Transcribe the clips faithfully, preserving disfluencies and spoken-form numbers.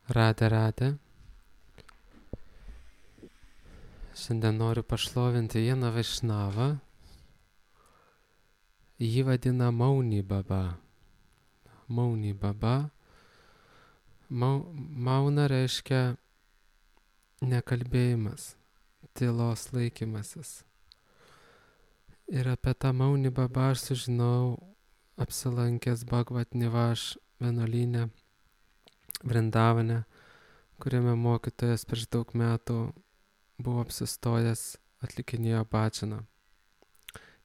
Radė, radė. Šiandien noriu pašlovinti vieną Vaišnavą. Jį vadina Mauni Baba. Mauni Baba. Mau, mauna reiškia nekalbėjimas, tylos laikymasis. Ir apie tą Mauni Baba aš sužinau apsilankęs Bhagavad Nivaš vienuolyne Vrindavane, kuriame mokytojas prieš daug metų buvo apsistojęs, atlikinėjo bhajaną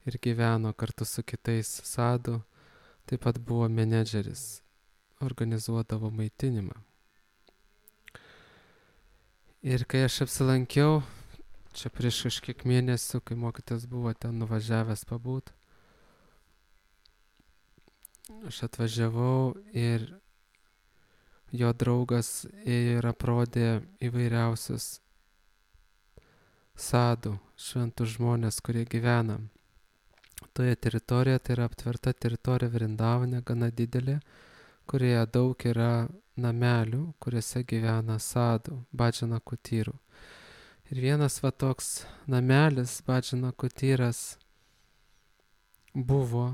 ir gyveno kartu su kitais sadhu, taip pat buvo menedžeris, organizuodavo maitinimą. Ir kai aš apsilankiau, čia prieš kažkiek mėnesių, kai mokytojas buvo ten nuvažiavęs pabūt, aš atvažiavau ir jo draugas ėjo ir aprodė įvairiausius sadhu, šventus žmonės, kurie gyvena toje teritorijoje. Tai yra aptverta teritorija Vrindavane, gana didelė, kurioje daug yra namelių, kuriuose gyvena sadhu, bhajana kutyrų. Ir vienas va toks namelis, bhajana kutyras, buvo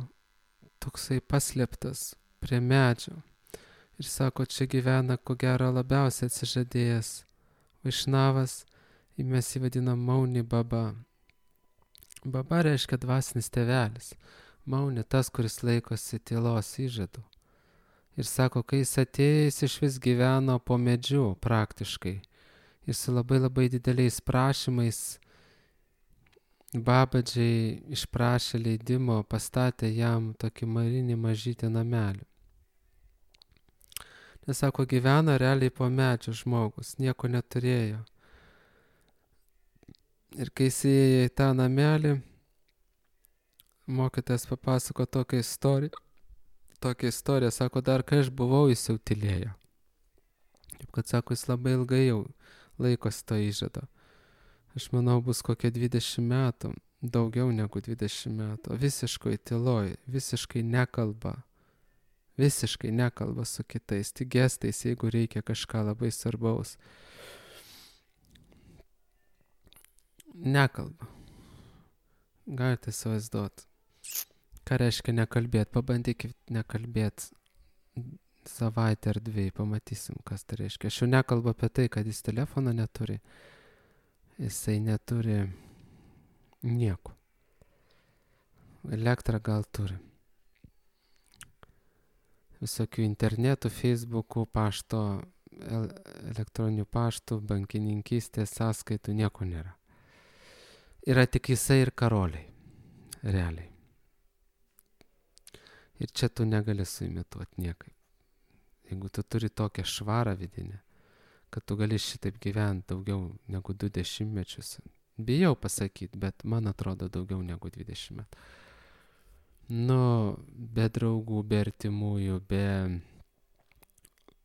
toksai paslėptas prie medžio. Ir sako, čia gyvena, ko gero, labiausiai atsižadėjęs Vaišnavas, ir mes jį vadinam Mauni Baba. Baba reiškia dvasinis tėvelis. Mauni tas, kuris laikosi tylos įžadų. Ir sako, kai jis atėjo, jis iš vis gyveno po medžiu praktiškai. Ir su labai labai dideliais prašymais Babadžiai išprašė leidimo, pastatė jam tokį marinį mažytį namelį. Nes sako, gyveno realiai po medžiu žmogus, nieko neturėjo. Ir kai jis įėjo į tą namelį, mokytojas papasako tokią istoriją, tokią istoriją, sako, dar kai aš buvau, jis jau tylėjo. Taip kad, sako, jis labai ilgai jau laikosi to įžado. Aš manau, bus kokie dvidešimt metų, daugiau negu dvidešimt metų, visiškai tyloj, visiškai nekalba. Visiškai nekalba su kitais, tik gestais, jeigu reikia kažką labai svarbaus. Nekalba. Galite įsivaizduoti. Ką reiškia nekalbėti? Pabandykit nekalbėti savaitę ar dviejų, pamatysim, kas tai reiškia. Aš jau nekalbu apie tai, kad jis telefoną neturi. Jisai neturi nieko. Elektrą gal turi. Visokių internetų, Facebookų, pašto, elektroninių paštų, bankininkystės, sąskaitų, nieko nėra. Yra tik jisai ir karoliai, realiai. Ir čia tu negali suimituoti niekaip. Jeigu tu turi tokią švarą vidinę, kad tu gali šitaip gyventi daugiau negu du dešimtmečius. Bijau pasakyti, bet man atrodo daugiau negu dvidešimt metų. Nu, be draugų, be artimųjų, be,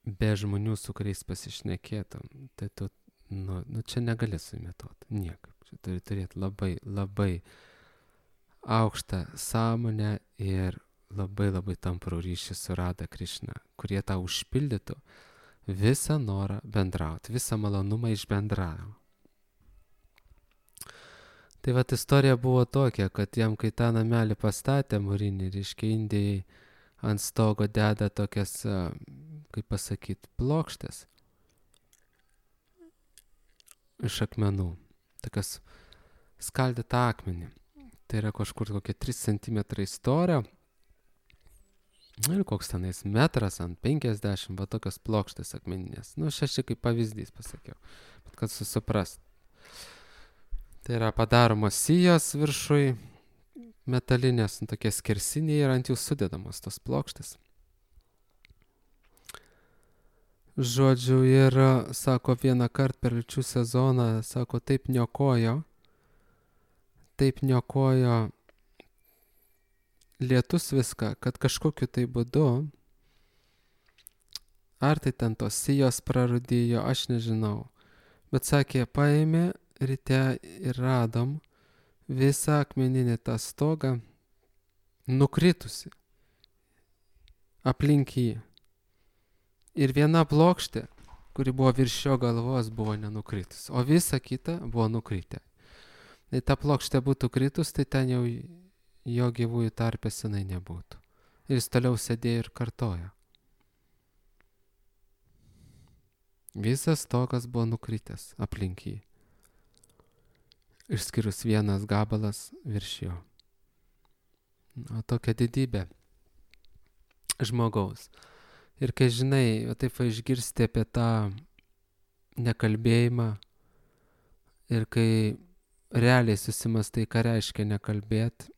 be žmonių, su kuriais pasišnekėtum, tai tu, nu, nu čia negali suimituoti niekaip. Čia turi turėti labai, labai aukštą sąmonę ir labai, labai tamprų ryšį su Radha Krišna, kurie tau užpildytų visą norą bendrauti, visą malonumą iš bendravimo. Tai vat istorija buvo tokia, kad jam, kai tą namelį pastatė mūrinį, reiškia, Indijai ant stogo deda tokias, kaip pasakyti, plokštės iš akmenų, tokias skaldytą akmenį. Tai yra kažkur kokie trys centimetrai storio ir koks tenais metras ant penkiasdešimt, va tokios plokštės akmeninės. Nu, šeši kaip pavyzdys pasakiau, bet kad susiprast. Tai yra padaromos sijos viršui, metalinės, nu, tokie skersiniai ir ant jų sudedamos tos plokštės. Žodžiu, ir, sako, vieną kartą per liūčių sezoną, sako, taip niokojo, taip niokojo lietus viską, kad kažkokiu tai būdu, ar tai ten tos sijos prarūdijo, aš nežinau, bet sakė, paėmė ryte ir radom visą akmeninį tą stogą nukritusi aplink jį. Ir viena plokštė kuri buvo virš jo galvos, buvo nenukritus, o visa kita buvo nukritę. Jei ta plokštė būtų kritus, tai ten jau jo gyvųjų tarpe senai nebūtų. Ir jis toliau sėdėjo ir kartojo. Visas to, kas buvo nukritęs aplink jį. Išskyrus vienas gabalas virš jo. O tokia didybė žmogaus. Ir kai žinai, o taip va išgirsti apie tą nekalbėjimą ir kai realiai susimastai, ką reiškia nekalbėt,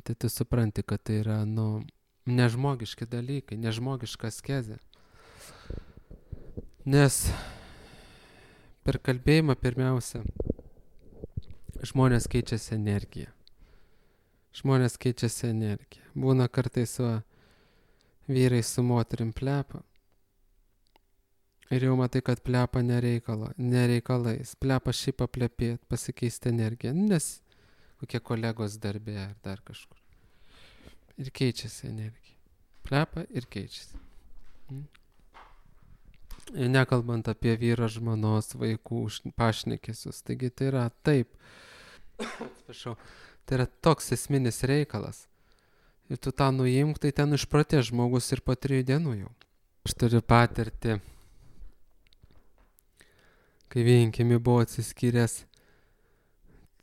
tai tu supranti, kad tai yra, nu, nežmogiški dalykai, nežmogiška askezė. Nes per kalbėjimą pirmiausia žmonės keičiasi energiją. Žmonės keičiasi energiją. Būna kartais va, vyrai su moterim plepa. Ir jau matai, kad plepa nereikalo, nereikalais. Plepa šiaip paplepėt, pasikeisti energiją. Nes kokie kolegos darbė ar dar kažkur. Ir keičiasi energija. Plepa ir keičiasi. Ir nekalbant apie vyro, žmonos, vaikų pašnekesius. Taigi tai yra taip. Atsiprašau. Tai yra toks esminis reikalas. Ir tu tą nuimk, tai ten išprotės žmogus ir po trijų dienų jau. Aš turiu patirtį, kai vienkimi buvo atsiskyręs,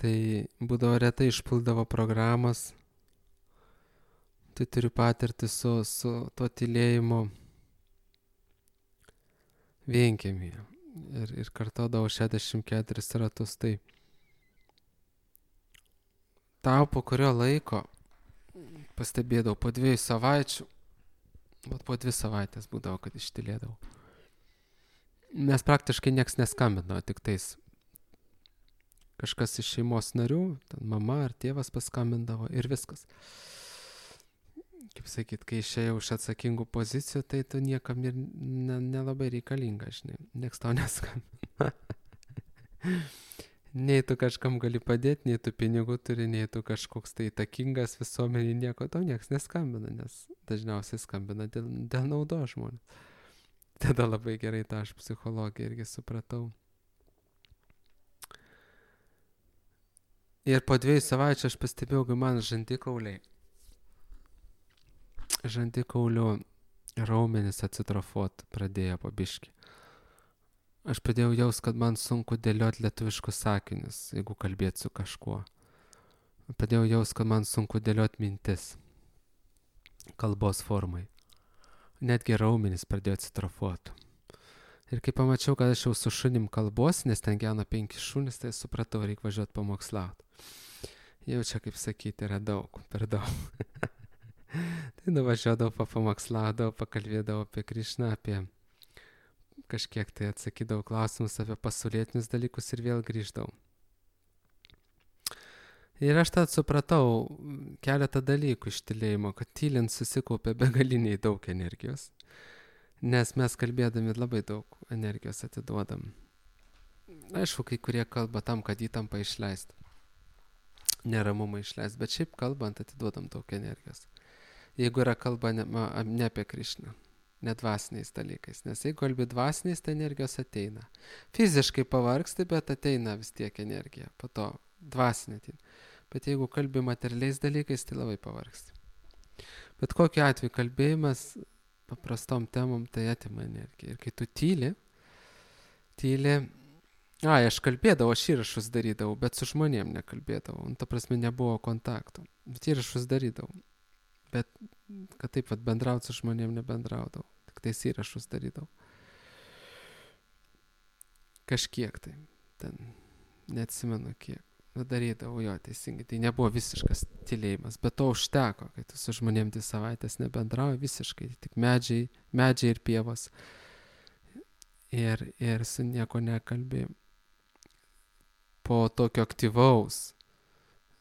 tai būdavo retai išpuldavo programos. Tai turiu patirtį su, su to tylėjimu vienkimi. Ir, ir kartodavau šešiasdešimt keturis ratus. Tai tau po kurio laiko pastebėdavau po dviejų savaičių, bet po dvi savaitės būdavo, kad ištylėdavau. Nes praktiškai nieks neskambino, tik tais kažkas iš šeimos narių, ten mama ar tėvas paskambindavo ir viskas. Kaip sakyt, kai išėjau iš atsakingų pozicijų, tai tu niekam ir nelabai ne reikalinga, žinai, nieks tau neskambina. Nei tu kažkam gali padėti, nei tu pinigų turi, nei tu kažkoks tai įtakingas visuomenį, nieko tau nieks neskambina, nes dažniausiai skambina dėl, dėl naudos žmonės. Tada labai gerai tą aš psichologiją irgi supratau. Ir po dviejų savaičių aš pastebėjau, kai man žandikauliai, žandikaulių raumenys acitrofuot pradėjo po biškį. Aš pradėjau jaust, kad man sunku dėlioti lietuviškus sakinius, jeigu kalbėt su kažkuo. Pradėjau jaust, kad man sunku dėlioti mintis kalbos formai. Netgi raumenys pradėjo acitrofuoti. Ir kai pamačiau, kad aš jau su šunim kalbos, nes ten gyvena penki šunys, tai supratau, reikia važiuoti pamokslauti. Jau čia, kaip sakyti, yra daug, per daug. Tai nuvažiuodavau, papamoksladavau, pakalbėdavau apie Krišną, apie kažkiek tai atsakydavau klausimus apie pasaulietinius dalykus ir vėl grįždavau. Ir aš tad supratau keletą dalykų iš tylėjimo, kad tylint susikaupia begaliniai daug energijos, nes mes kalbėdami labai daug energijos atiduodam. Aišku, kai kurie kalba tam, kad įtampą išleist, neramumą išleist, bet šiaip kalbant atiduodam daug energijos. Jeigu yra kalba ne, ne apie Krišną, ne dvasiniais dalykais, nes jeigu kalbi dvasiniais, tai energijos ateina. Fiziškai pavargsti, bet ateina vis tiek energija, po to dvasinė ateina. Bet jeigu kalbi materialiais dalykais, tai labai pavargsti. Bet kokiu atveju kalbėjimas paprastom temom tai atima energiją. Ir kai tu tyli, tyli, ai, aš kalbėdavau, aš įrašus darydavau, bet su žmonėm nekalbėdavau. Ta prasme, nebuvo kontaktų. Bet įrašus darydavau. Bet kad taip pat bendraut su žmonėm nebendraudavau. Tik tais įrašus darydavau. Kažkiek tai. Ten neatsimenu kiek. Darydavau jo teisingai. Tai nebuvo visiškas tylėjimas. Bet to užteko, kai tu su žmonėm dvi savaitės nebendrauji visiškai. Tik medžiai, medžiai ir pievos. Ir, ir su nieko nekalbė. Po tokio aktyvaus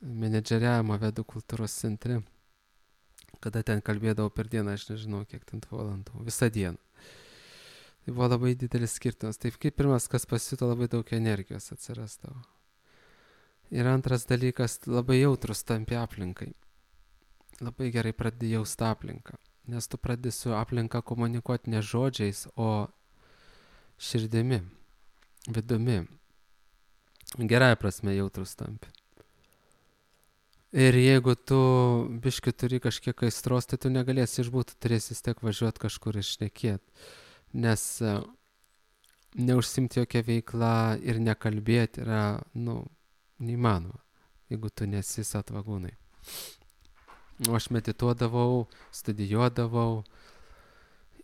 menedžeriavimo Vedų kultūros centre, kada ten kalbėdavau per dieną, aš nežinau, kiek ten valandų, visą dieną. Tai buvo labai didelis skirtumas. Taip kaip pirmas, kas pasijuto, labai daug energijos atsirasdavo. Ir antras dalykas, labai jautrus tampi aplinkai. Labai gerai pradedi jausti aplinką. Nes tu pradedi su aplinka komunikuoti ne žodžiais, o širdimi, vidumi. Gerąja prasme jautrus tampi. Ir jeigu tu biški turi kažkiek aistros, tai tu negalėsi išbūti, tu turėsi vis tiek važiuoti kažkur išnekėti. Nes neužsimti jokią veiklą ir nekalbėti yra, nu, neįmanoma, jeigu tu nesi satvagūnai. O aš medituodavau, studijuodavau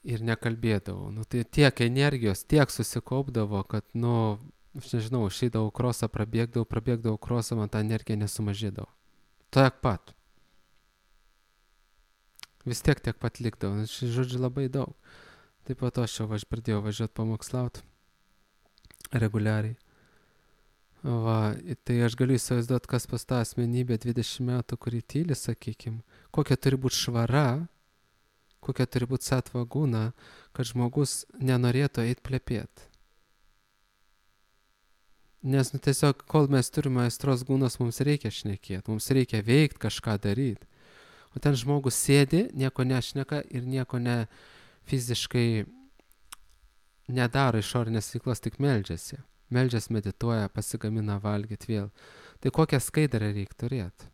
ir nekalbėdavau. Nu, tai tiek energijos, tiek susikaupdavo, kad, nu, aš nežinau, išeidavau krosą, prabėgdavau, prabėgdavau krosą, man ta energija nesumažėdavo. Tiek pat. Vis tiek tiek pat likdavo. Žodžiu, labai daug. Taip pat aš jau aš pradėjau važiuoti pamokslauti reguliariai. Va, tai aš galiu įsivaizduoti, kas pas tą asmenybę dvidešimt metų, kurį tyli, sakykim, kokia turi būti švara, kokia turi būti satvagūna, kad žmogus nenorėtų eiti plepėti. Nes nu, tiesiog, kol mes turime aistros gūnos, mums reikia šnekėti, mums reikia veikti, kažką daryti. O ten žmogus sėdi, nieko nešneka ir nieko ne fiziškai nedaro išorinės veiklos, tik meldžiasi. Meldžias, medituoja, pasigamina valgyti vėl. Tai kokią skaidrą reikia turėti?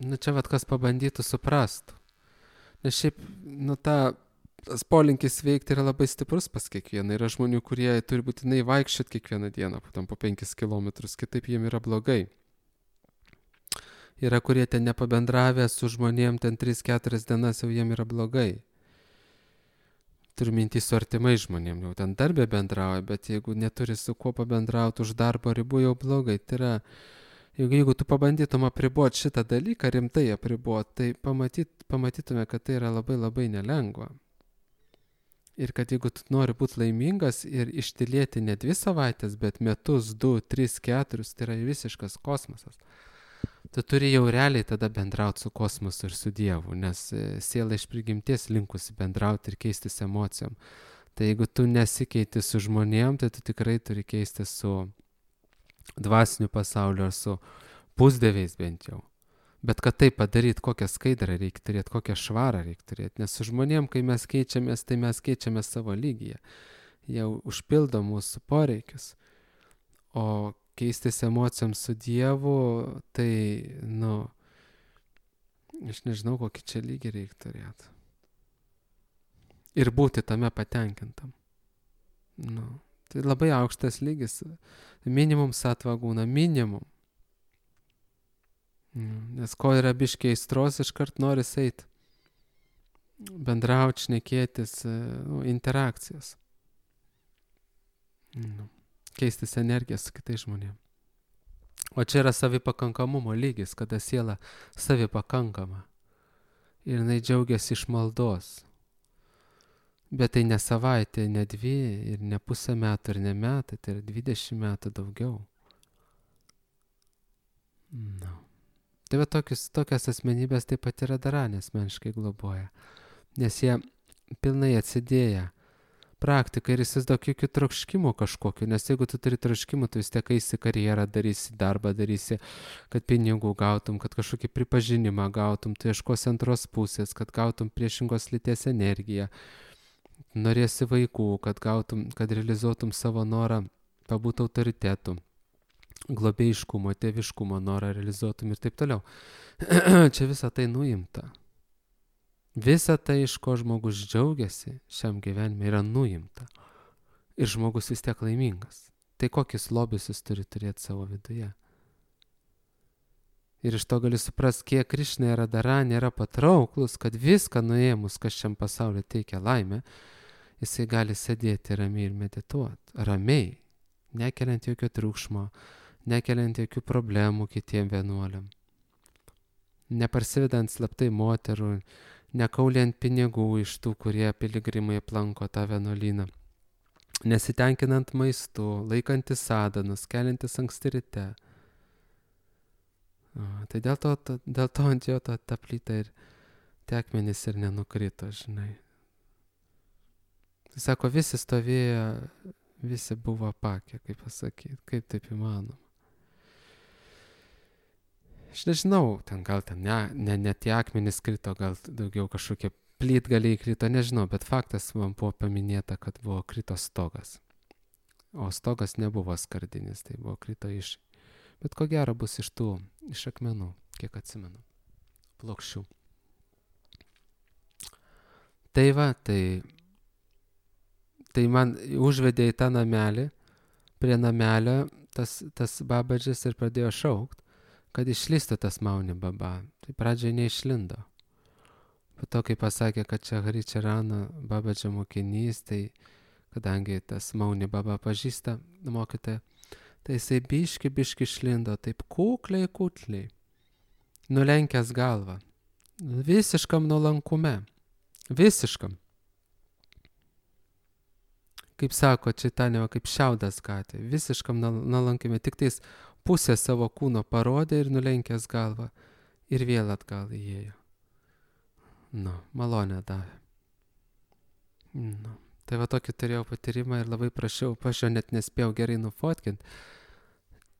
Nu čia vat kas pabandytų suprastų. Nes šiaip, nu ta, tas polinkis veikti yra labai stiprus pas kiekvieną. Yra žmonių, kurie turi būtinai vaikščioti kiekvieną dieną, tam po penkis kilometrus, kitaip jiem yra blogai. Yra, kurie ten nepabendravę su žmonėm, ten tris keturias dienas jau jiem yra blogai. Turiu mintį su artimai žmonėm, jau ten darbė bendrauja, bet jeigu neturi su kuo pabendrauti už darbo ribų, jau blogai. Tai yra, jeigu, jeigu tu pabandytum apriboti šitą dalyką, rimtai apriboti, tai pamatyt, pamatytume, kad tai yra labai labai nelengva. Ir kad jeigu tu nori būti laimingas ir ištylėti ne dvi savaitės, bet metus, du, tris, keturis, tai yra visiškas kosmosas. Tu turi jau realiai tada bendrauti su kosmosu ir su Dievu, nes siela iš prigimties linkusi bendrauti ir keistis emocijom. Tai jeigu tu nesikeiti su žmonėm, tai tu tikrai turi keisti su dvasiniu pasauliu ar su pusdieviais bent jau. Bet kad tai padaryti, kokią skaidrą reikia turėti, kokią švarą reikia turėti. Nes su žmonėm, kai mes keičiamės, tai mes keičiamės savo lygyje. Jie užpildo mūsų poreikius. O keistis emocijom su Dievu, tai, nu, aš nežinau, kokį čia lygį reikia turėti. Ir būti tame patenkintam. Nu, tai labai aukštas lygis. Minimum satvagūna, minimum. Nes ko yra biškiai aistros, iškart noris eiti. Bendrauti, šnekėtis, nu, interakcijas. Nu. Keistis energiją su kitais žmonėm. O čia yra savipakankamumo lygis, kada siela savipakankama. Ir jinai džiaugiasi iš maldos. Bet tai ne savaitė, ne dvi, ir ne pusę metų, ir ne metai, tai yra dvidešimt metų daugiau. No. Tai va tokius, tokias asmenybės taip pat yra daranė asmeniškai globoja. Nes jie pilnai atsidėję praktiką ir įsivaizduok jokių troškimų kažkokiu, nes jeigu tu turi troškimų, tu vis tiek eisi karjerą, darysi darbą, darysi, kad pinigų gautum, kad kažkokį pripažinimą gautum, tu ieškosi antros pusės, kad gautum priešingos lyties energiją, norėsi vaikų, kad gautum, kad realizuotum savo norą pabūti autoritetu, globėjiškumo, tėviškumo norą realizuotum ir taip toliau. Čia visa tai nuimta. Visa tai, iš ko žmogus džiaugiasi šiam gyvenime, yra nuimta. Ir žmogus vis tiek laimingas. Tai kokius lobius jis turi turėti savo viduje. Ir iš to gali suprasti, kiek Krišna yra dara, nėra patrauklus, kad viską nuėmus, kas šiam pasauliu teikia laimę, jisai gali sėdėti ramiai ir medituoti. Ramiai, nekeliant jokio triukšmo, nekeliant jokių problemų kitiem vienuoliam. Neparsivedant slaptai moterų, nekauliant pinigų iš tų, kurie piligrimai aplanko tą vienuolyną, nesitenkinant maistu, laikantis sadanus, keliantis anksti ryte. O, tai dėl to, to, dėl to ant jo ta, ta plyta ir tie akmenys ir nenukrito, žinai. Tai sako, visi stovėjo, visi buvo apakę, kaip pasakyti, kaip taip įmanoma. Aš nežinau, ten gal ten ne, ne, ne tie akmenys krito, gal daugiau kažkokie plytgaliai krito, nežinau, bet faktas man buvo paminėta, kad buvo krito stogas. O stogas nebuvo skardinis, tai buvo krito iš. Bet ko gero bus iš tų, iš akmenų, kiek atsimenu, plokščių. Tai va, tai, tai man užvedė į tą namelį, prie namelio tas, tas babadžis ir pradėjo šaukt, kad išlįstų tas Mauni Baba. Tai pradžiai neišlindo. Po to, kai pasakė, kad čia Hari Čarano babadžio mokinys, tai kadangi tas Mauni Baba pažįsta mokytoją, tai jisai biški, biški išlindo, taip kukliai, kukliai, nulenkęs galvą, visiškam nuolankume, visiškam. Kaip sako Čaitanija, kaip šiaudas katė, visiškam nuolankime, tik tais pusę savo kūno parodė ir nulenkęs galvą ir vėl atgal įėjo. Nu, malonę davė. Nu, tai va tokį turėjau patyrimą ir labai prašiau, aš jo net nespėjau gerai nufotkinti,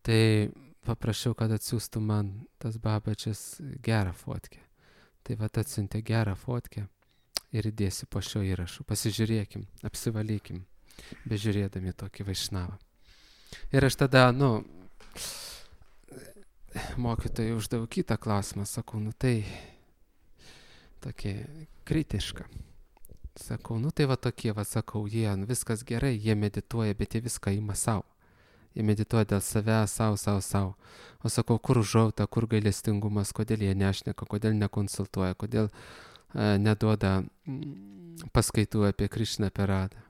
tai paprašiau, kad atsiųstų man tas babadžis gerą fotkę. Tai va atsiuntė gerą fotkę ir įdėsiu po šio įrašu. Pasižiūrėkim, apsivalykim, bežiūrėdami tokį Vaišnavą. Ir aš tada, nu, mokytojai uždaviau kitą klausimą, sakau, nu tai tokie kritiška. Sakau, nu tai va tokie, va sakau, jie, nu, viskas gerai, jie medituoja, bet jie viską ima savo. Jie medituoja dėl savęs, savo, savo, savo. O sakau, kur užuojauta, kur gailestingumas, kodėl jie nešneka, kodėl nekonsultuoja, kodėl e, neduoda mm, paskaitų apie Krišną per Radą.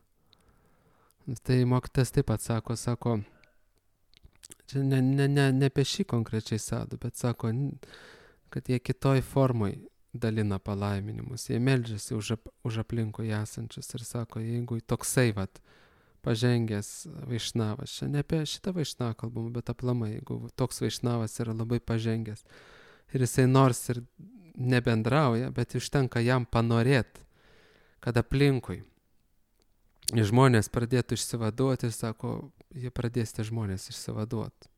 Tai mokytas taip pat sako, sako, čia ne, ne, ne, ne apie šį konkrečiai sadų, bet sako, kad jie kitoj formoj dalina palaiminimus. Jie meldžiasi už, ap, už aplinkui esančius ir sako, jeigu toksai vat, pažengęs Vaišnavas, čia ne apie šitą Vaišnavą kalbam, bet aplamai, jeigu toks Vaišnavas yra labai pažengęs ir jisai nors ir nebendrauja, bet užtenka jam panorėti, kad aplinkui žmonės pradėtų išsivaduoti ir sako, jie pradės tie žmonės išsivaduoti.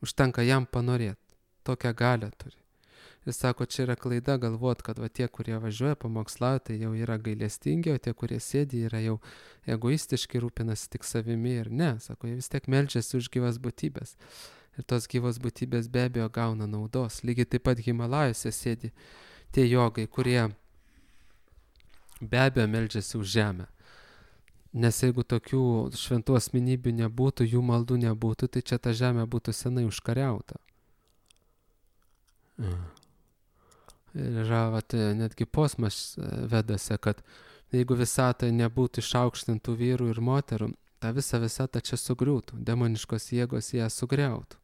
Užtenka jam panorėti, tokią galią turi. Ir sako, čia yra klaida galvot, kad va tie, kurie važiuoja pamokslauti, tai jau yra gailestingi, o tie, kurie sėdi, yra jau egoistiški, rūpinasi tik savimi ir ne. Sako, jie vis tiek meldžiasi už gyvas būtybės. Ir tos gyvos būtybės be abejo gauna naudos. Lygiai taip pat Himalajose sėdi tie jogai, kurie be abejo meldžiasi už žemę. Nes jeigu tokių šventų asmenybių nebūtų, jų maldų nebūtų, tai čia ta žemė būtų senai užkariauta. Mm. Ir yra vat, netgi posmas vedasi, kad jeigu visatoje nebūtų išaukštintų vyrų ir moterų, ta visa visata čia sugriūtų, demoniškos jėgos ją sugriautų,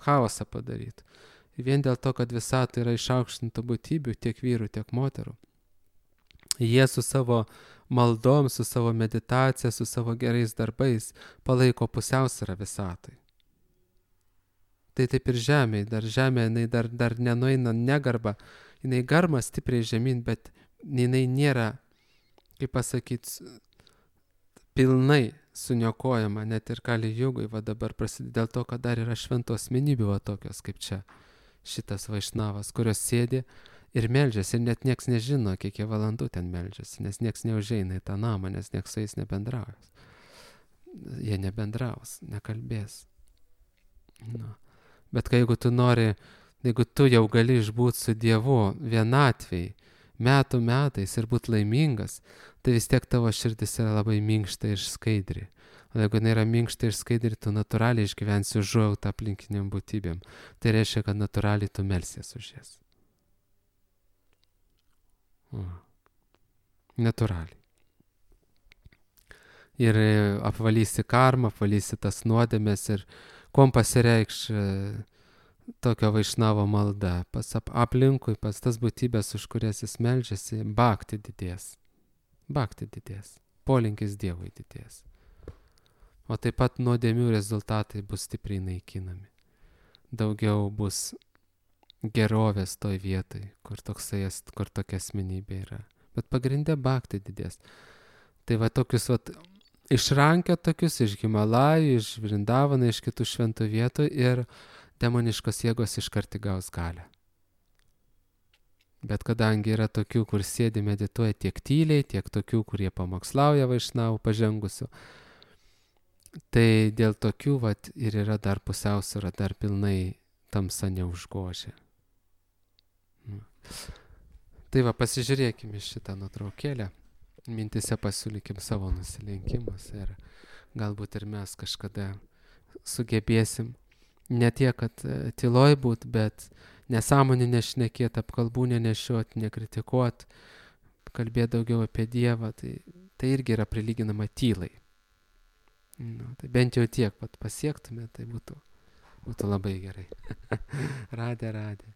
chaosą padarytų. Ir vien dėl to, kad visatoje yra išaukštintų būtybių, tiek vyrų, tiek moterų, jie su savo maldom, su savo meditacija, su savo gerais darbais palaiko pusiausvyrą visatai. Tai taip ir žemė, dar žemė, jinai dar, dar nenueina negarba, jinai garma stipriai žemyn, bet jinai nėra, kaip pasakyti, pilnai suniokojama, net ir Kali Jugoj, va dabar prasideda dėl to, kad dar yra šventų asmenybių va tokios, kaip čia šitas Vaišnavas, kurios sėdi ir meldžiasi, ir net nieks nežino, kiek jie valandų ten meldžiasi, nes nieks neužeina į tą namą, nes nieks su jais nebendraus. Jie nebendraus, nekalbės. Nu. Bet kai jeigu tu nori, jeigu tu jau gali išbūti su Dievu vienatvėj, metų metais ir būti laimingas, tai vis tiek tavo širdis yra labai minkšta ir skaidri. O jeigu jinai yra minkšta ir skaidri, tu natūraliai išgyvensi užuojautą aplinkiniam būtybėm. Tai reiškia, kad natūraliai tu melsies už jas. Mm. Natūraliai. Ir apvalysi karmą, apvalysi tas nuodėmes ir kuom pasireikš tokio Vaišnavo malda. Pas aplinkui, pas tas būtybės, už kurias jis meldžiasi, bhakti didės. Bhakti didės. Polinkis Dievui didės. O taip pat nuodėmių rezultatai bus stipriai naikinami. Daugiau bus gerovės toj vietoj, kur, toksai, kur tokia asmenybė yra. Bet pagrindė bhakti didės. Tai va tokius va išrankia tokius iš Himalajų, iš Vrindavano, iš kitų šventų vietų ir demoniškos jėgos iškart įgaus galią. Bet kadangi yra tokių, kur sėdi medituoja tiek tyliai, tiek tokių, kurie pamokslauja vaišnavų pažengusių, tai dėl tokių vat, ir yra dar pusiausvyra, dar pilnai tamsa neužgožia. Tai va, pasižiūrėkime šitą nuotraukėlę, mintise pasiūlykim savo nusilenkimus ir galbūt ir mes kažkada sugebėsim ne tiek, kad tyloj būt, bet nesąmonį nešnekėt, apkalbų nenešiot, nekritikuot, kalbėt daugiau apie Dievą, tai, tai irgi yra prilyginama tylai. Nu, tai bent jau tiek pat pasiektume, tai būtų, būtų labai gerai. Radė, radė.